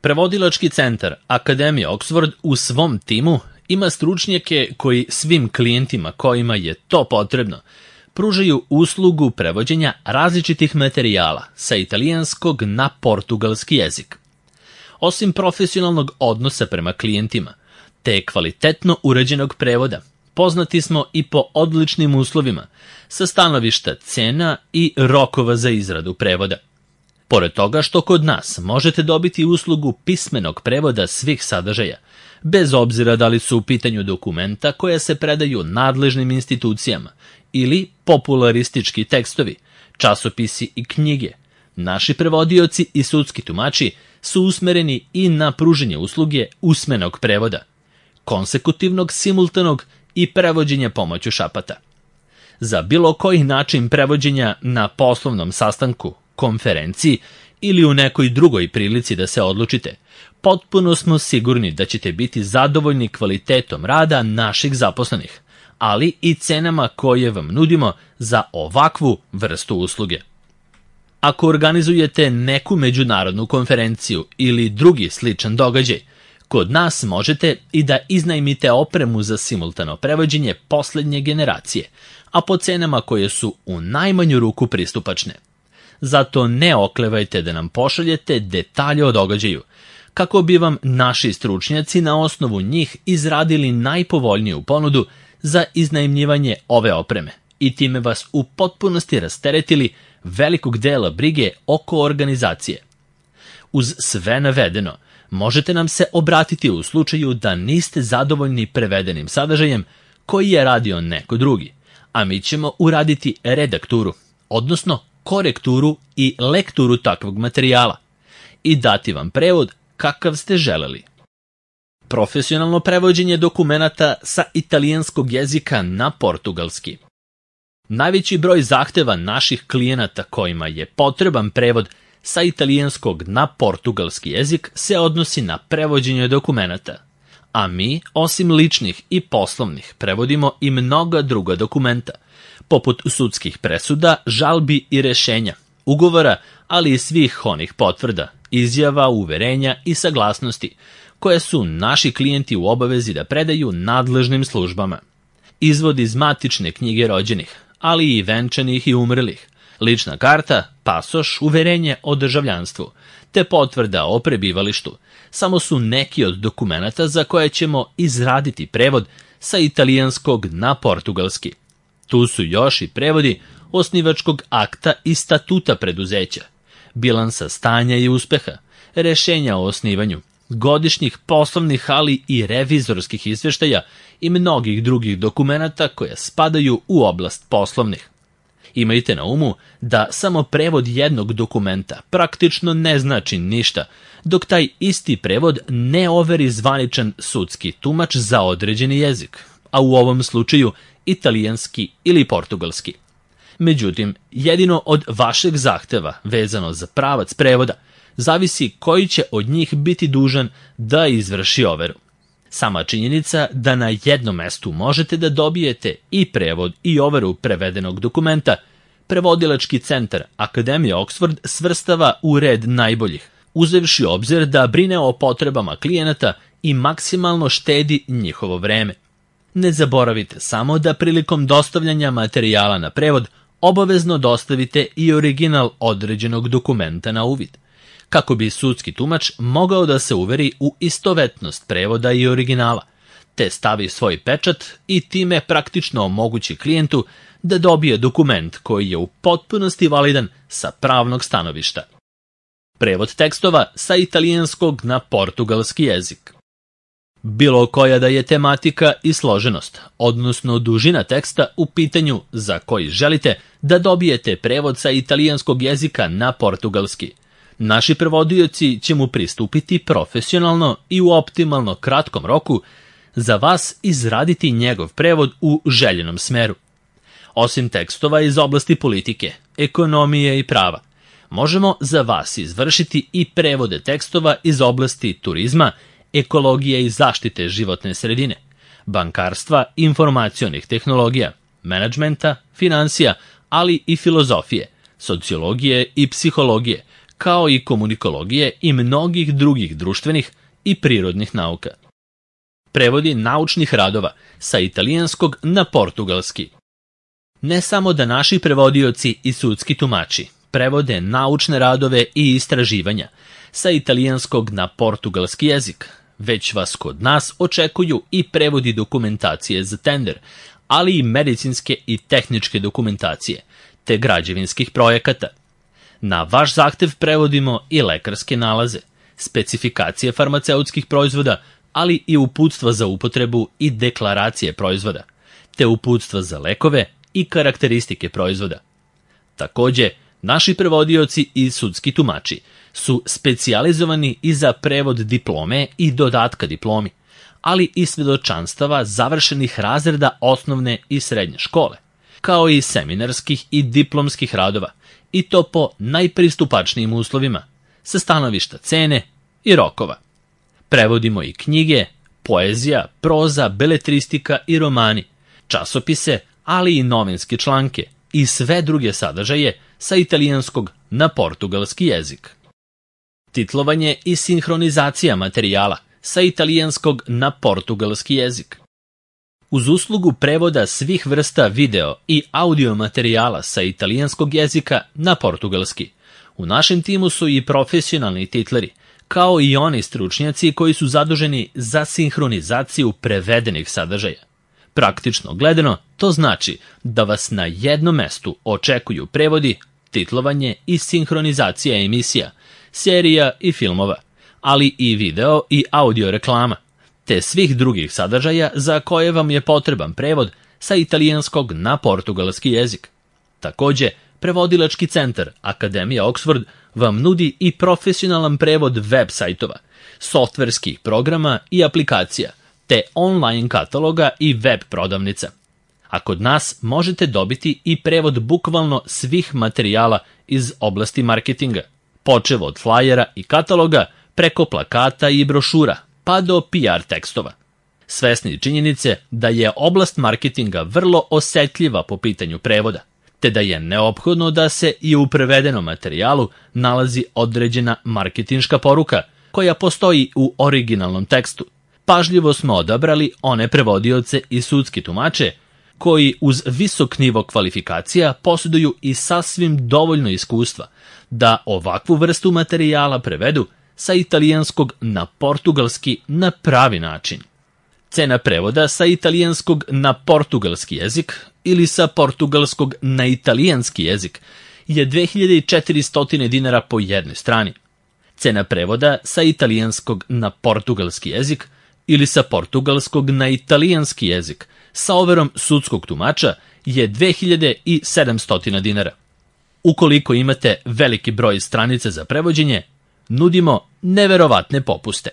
Prevodilački centar Akademije Oxford u svom timu ima stručnjake koji svim klijentima kojima je to potrebno pružaju uslugu prevođenja različitih materijala sa italijanskog na portugalski jezik. Osim profesionalnog odnosa prema klijentima, te kvalitetno uređenog prevoda, poznati smo i po odličnim uslovima sa stanovišta cena i rokova za izradu prevoda. Pored toga što kod nas možete dobiti uslugu pismenog prevoda svih sadržaja, bez obzira da li su u pitanju dokumenta koja se predaju nadležnim institucijama ili popularistički tekstovi, časopisi i knjige, naši prevodioci i sudski tumači su usmereni i na pruženje usluge usmenog prevoda, konsekutivnog, simultanog i prevođenja pomoću šapata. Za bilo koji način prevođenja na poslovnom sastanku, konferenciji ili u nekoj drugoj prilici da se odlučite, potpuno smo sigurni da ćete biti zadovoljni kvalitetom rada naših zaposlenih, ali i cenama koje vam nudimo za ovakvu vrstu usluge. Ako organizujete neku međunarodnu konferenciju ili drugi sličan događaj, kod nas možete i da iznajmite opremu za simultano prevođenje poslednje generacije, a po cenama koje su u najmanju ruku pristupačne. Zato ne oklevajte da nam pošaljete detalje o događaju, kako bi vam naši stručnjaci na osnovu njih izradili najpovoljniju ponudu za iznajmljivanje ove opreme i time vas u potpunosti rasteretili velikog dela brige oko organizacije. Uz sve navedeno, možete nam se obratiti u slučaju da niste zadovoljni prevedenim sadržajem koji je radio neko drugi, a mi ćemo uraditi redakturu, odnosno korekturu i lekturu takvog materijala i dati vam prevod kakav ste želeli. Profesionalno prevođenje dokumenata sa italijanskog jezika na portugalski. Najveći broj zahteva naših klijenata kojima je potreban prevod sa italijanskog na portugalski jezik se odnosi na prevođenje dokumenata, a mi, osim ličnih i poslovnih, prevodimo i mnoga druga dokumenta, poput sudskih presuda, žalbi i rešenja, ugovora, ali i svih onih potvrda, izjava, uverenja i saglasnosti, koje su naši klijenti u obavezi da predaju nadležnim službama. Izvod iz matične knjige rođenih, ali i venčanih i umrlih, lična karta, pasoš, uverenje o državljanstvu, te potvrda o prebivalištu, samo su neki od dokumenata za koje ćemo izraditi prevod sa italijanskog na portugalski. Tu su još i prevodi osnivačkog akta i statuta preduzeća, bilansa stanja i uspeha, rešenja o osnivanju, godišnjih poslovnih, ali i revizorskih izveštaja i mnogih drugih dokumenata koje spadaju u oblast poslovnih. Imajte na umu da samo prevod jednog dokumenta praktično ne znači ništa, dok taj isti prevod ne overi zvaničan sudski tumač za određeni jezik, a u ovom slučaju italijanski ili portugalski. Međutim, jedino od vašeg zahteva vezano za pravac prevoda zavisi koji će od njih biti dužan da izvrši overu. Sama činjenica da na jednom mestu možete da dobijete i prevod i overu prevedenog dokumenta, Prevodilački centar Akademije Oxford svrstava u red najboljih, uzevši obzir da brine o potrebama klijenata i maksimalno štedi njihovo vreme. Ne zaboravite samo da prilikom dostavljanja materijala na prevod obavezno dostavite i original određenog dokumenta na uvid, kako bi sudski tumač mogao da se uveri u istovetnost prevoda i originala, te stavi svoj pečat i time praktično omogući klijentu da dobije dokument koji je u potpunosti validan sa pravnog stanovišta. Prevod tekstova sa italijanskog na portugalski jezik. Bilo koja da je tematika i složenost, odnosno dužina teksta u pitanju za koji želite da dobijete prevod sa italijanskog jezika na portugalski, naši prevodioci će mu pristupiti profesionalno i u optimalno kratkom roku za vas izraditi njegov prevod u željenom smeru. Osim tekstova iz oblasti politike, ekonomije i prava, možemo za vas izvršiti i prevode tekstova iz oblasti turizma, ekologije i zaštite životne sredine, bankarstva, informacionih tehnologija, menadžmenta, finansija, ali i filozofije, sociologije i psihologije, kao i komunikologije i mnogih drugih društvenih i prirodnih nauka. Prevodi naučnih radova sa italijanskog na portugalski. Ne samo da naši prevodioci i sudski tumači prevode naučne radove i istraživanja sa italijanskog na portugalski jezik, već vas kod nas očekuju i prevodi dokumentacije za tender, ali i medicinske i tehničke dokumentacije, te građevinskih projekata. Na vaš zahtev prevodimo i lekarske nalaze, specifikacije farmaceutskih proizvoda, ali i uputstva za upotrebu i deklaracije proizvoda, te uputstva za lekove i karakteristike proizvoda. Takođe, naši prevodioci i sudski tumači su specijalizovani i za prevod diplome i dodatka diplomi, ali i svedočanstava završenih razreda osnovne i srednje škole, kao i seminarskih i diplomskih radova, i to po najpristupačnijim uslovima, sa stanovišta cene i rokova. Prevodimo i knjige, poezija, proza, beletristika i romani, časopise, ali i novinske članke i sve druge sadržaje sa italijanskog na portugalski jezik. Titlovanje i sinhronizacija materijala sa italijanskog na portugalski jezik. Uz uslugu prevoda svih vrsta video i audio materijala sa italijanskog jezika na portugalski, u našem timu su i profesionalni titleri, kao i oni stručnjaci koji su zaduženi za sinhronizaciju prevedenih sadržaja. Praktično gledano, to znači da vas na jednom mestu očekuju prevodi, titlovanje i sinhronizacija emisija, serija i filmova, ali i video i audio reklama, te svih drugih sadržaja za koje vam je potreban prevod sa italijanskog na portugalski jezik. Takođe, prevodilački centar Akademija Oxford vam nudi i profesionalan prevod web sajtova, softverskih programa i aplikacija, te online kataloga i web prodavnica. A kod nas možete dobiti i prevod bukvalno svih materijala iz oblasti marketinga, počev od flajera i kataloga, preko plakata i brošura, pa do PR tekstova. Svesni činjenice da je oblast marketinga vrlo osetljiva po pitanju prevoda, te da je neophodno da se i u prevedenom materijalu nalazi određena marketinška poruka koja postoji u originalnom tekstu. Pažljivo smo odabrali one prevodioce i sudski tumače koji uz visok nivo kvalifikacija posjeduju i sasvim dovoljno iskustva da ovakvu vrstu materijala prevedu sa italijanskog na portugalski na pravi način. Cena prevoda sa italijanskog na portugalski jezik ili sa portugalskog na italijanski jezik je 2400 dinara po jednoj strani. Cena prevoda sa italijanskog na portugalski jezik ili sa portugalskog na italijanski jezik sa overom sudskog tumača je 2700 dinara. Ukoliko imate veliki broj stranica za prevođenje, nudimo neverovatne popuste.